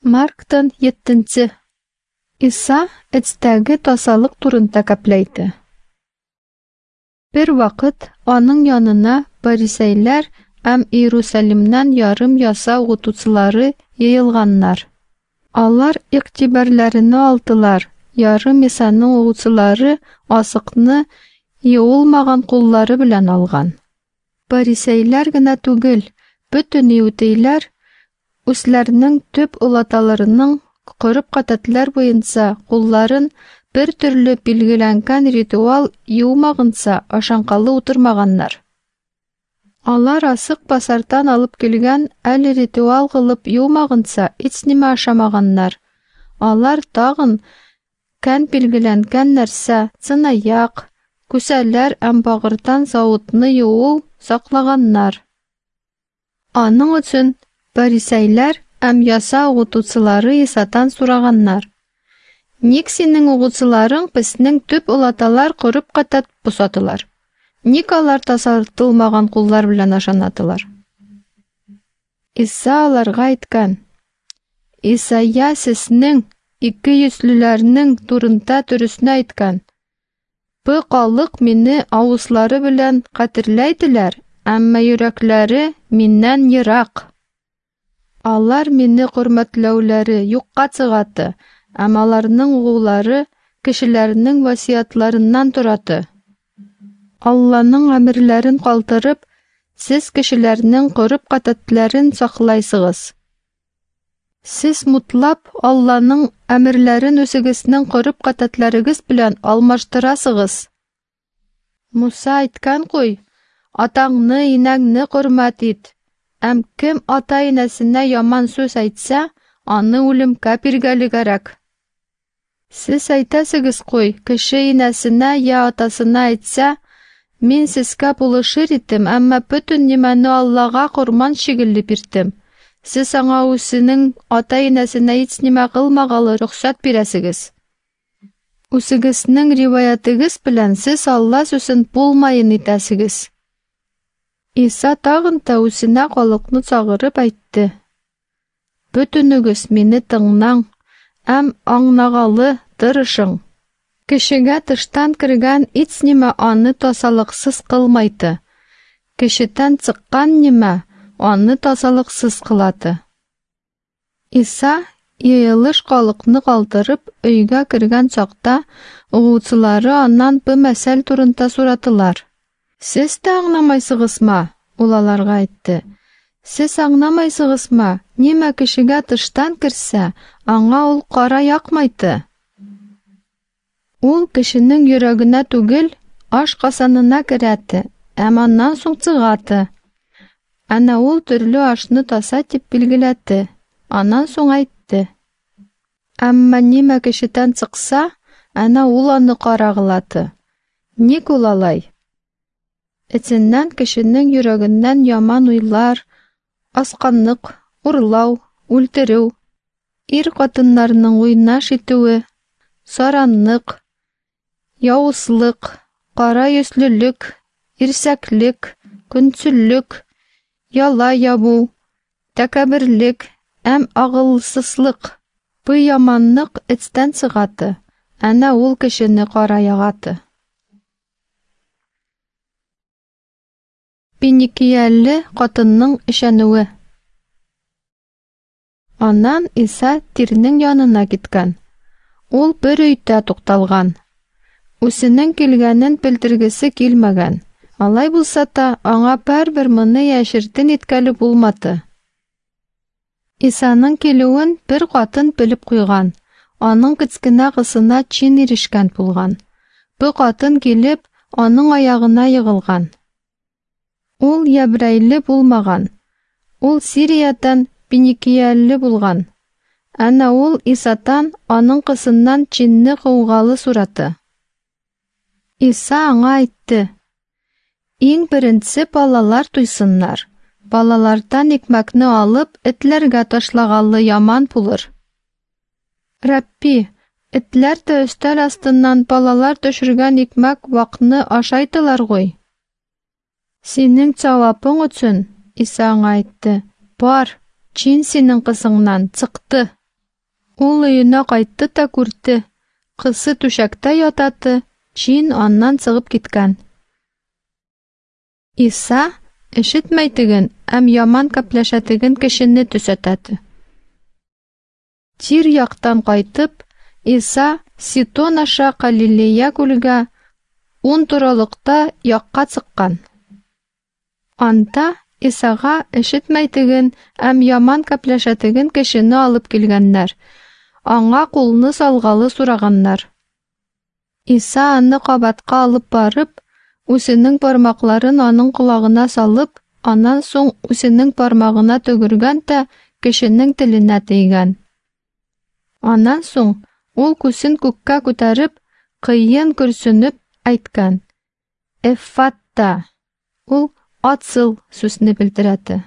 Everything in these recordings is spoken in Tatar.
Марктан еттинче. Иса эцтәге тасалык турында кәпләйте. Бер вакыт аның янына парисәйләр һәм Иерусалимнан ярым яса укытучылары йыелганнар. Алар игътибарларына алдылар, ярым Исаның укучылары асыкны юылмаган куллары белән алган. Парисәйләр генә түгел, бөтен иудейләр үзләренең төп олаталарының гореф-гадәтләр буенча кулларын бер төрле билгеләнгән ритуал юылмагынча ашанкалы утырмаганнар. Алар асык базардан алып килгән әле ритуал кылып юылмагынча һичнимә ашамаганнар. Алар тагын кән билгеләнгән нәрсә, чынаяк, күсәләр һәм багырдан савытны юу саклаганнар. Аның өчен парисәйләр һәм яса укытучылары Исадан сораганнар: "Ник синең укучыларың безнең төп олаталар гореф-гадәт бозатылар? Ник алар тазартылмаган куллар белән ашанатылар?" Иса аларга әйткән: "Исайя сезнең икейөзлеләрнең турында дөресне әйткән. Бу халык мине авызлары белән кадерләйделәр, әмма йөрәкләре миннән ерак. Алар мине хөрмәтләүләре юкка чыгаты, һәм аларның угулары кешеләрнең васыятьләреннән тораты. Алланың әмерләрен калдырып, сез кешеләрнең гореф-гадәтләрен саклайсыгыз. Сез мутлап Алланың әмерләрен үзегезнең гореф-гадәтләрегез белән алмаштырасыгыз. Муса әйткән куй: Атаңны, инәңне хөрмәт ит. Һәм кем ата-инәсенә яман сүз әйтсә, аны үлемгә биргәле кирәк. Сез әйтәсегез куй, кеше инәсенә я атасына әйтсә, мин сезгә булышыр идем, әмма бөтен нимәне Аллага корман шикелле бирдем. Сез аңа үзенең ата-инәсенә һич нимә кылмагалы рөхсәт бирәсегез. Үзегезнең риваятегез белән сез Алла сүзен булмаен итәсегез. Иса тагын да үзенә халыкны чагырып әйтте: "Бөтенегез мине тыңлаң һәм аңнагалы тырышың. Кешегә тыштан кергән һич нимә аны тазалыксыз кылмайды. Кешедән чыккан нимә аны тазалыксыз кылады." Иса йыелыш халыкны калдырып өйгә кергән чакта, укучылары аннан бу мәсәл турында сорадылар. "Сез дә аңламайсыгызмы?" Ул аларга әйтте. "Сез аңламайсыгызмы? Нимә кешегә тыштан керсә, аңа ул кара якмайды. Ул кешенең йөрәгенә түгел, аш казанына керәде, һәм аннан соң чыгады." Әнә ул төрле ашны таза дип билгеләде. Аннан соң әйтте: "Әмма нимә кешедән чыкса, әнә ул аны кара кылады. Ник ул алай? Эченнән кешенең йөрәгеннән яман уйлар, асканлык, урлау, үлтерү, ир хатыннарның уйнаш итүе, саранлык, явызлык, кара йөзлелек, ирсәклек, көнчеллек, яла ябу, тәкәбберлек һәм акылсызлык. Бу яманлык эчтән чыгады, әнә ул кешене кара ягады." Финикияле хатынның ышануы. Аннан Иса Тирнең янына киткән. Ул бер өйдә тукталган. Үзенең килгәнен белдергесе килмәгән. Алай булса да, аңа барыбер моны яшертен иткәле булмады. Исаның килүен бер хатын белеп куйган. Аның кечкенә кызына чин ирешкән булган. Бу хатын килеп, аның аягына егылган. Ул ябрәйле булмаган. Ул Сириядән Финикияле булган. Әнә ул Исатан аның кызыннан чинне кугалы сураты. Иса аңа әйтте: "Иң беренче балалар туйсыннар. Балалардан икмәкне алып, этләргә ташлагалы яман булыр." "Рабби, этләр дә өстәл астыннан балалар төшергән икмәк вакны ашайтылар гуй." "Синең җавабың өчен, Иса аңа әйтте: "Бар, чин синең кызыңнан чыкты." Ул өенә кайтты та күрде, кысы түшәктә ятаты, җин аннан чыгып киткән. Иса ишетмәйтеген һәм яман кәпләшәтеген кешене төсәтәте. Тир яктан кайтып, Иса Ситон аша Калилея күлгә ун торалыкта якка чыккан. Анда Исага ишетмәйтеген һәм яман кәпләшәтеген кешене алып килгәннәр. Аңа кулны салгалы сораганнар. Иса аны кабатка алып барып, үзенең бармакларын аның колагына салып, аннан соң үзенең бармагына төгергән дә кешенең теленә тейгән. Аннан соң ул күзен күккә күтәреп, кыен көрсенеп әйткән: "Эффатта!" Ул "Ацыл" сүзне белдерәде.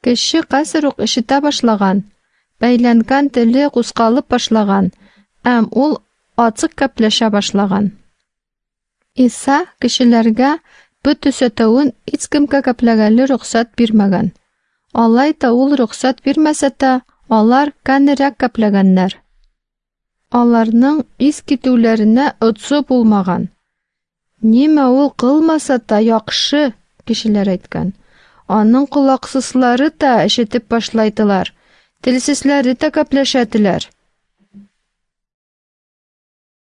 Кеше хәзер үк ишетә башлаган, бәйләнгән теле кузгалып башлаган, һәм ул ачык кәпләшә башлаган. Иса кешеләргә бу төсәтүен һичкемгә кәпләгәле рөхсәт бирмәгән. Алай да ул рөхсәт бирмәсә дә, алар кәнерәк кәпләгәннәр. Аларның ис китүләренә отсы булмаган. Нимә ул кылмаса та яхшы, кешеләр әйткән. Аның колаксызлары да ишетеп башлайдылар, телсезләре дә кәпләшәделәр.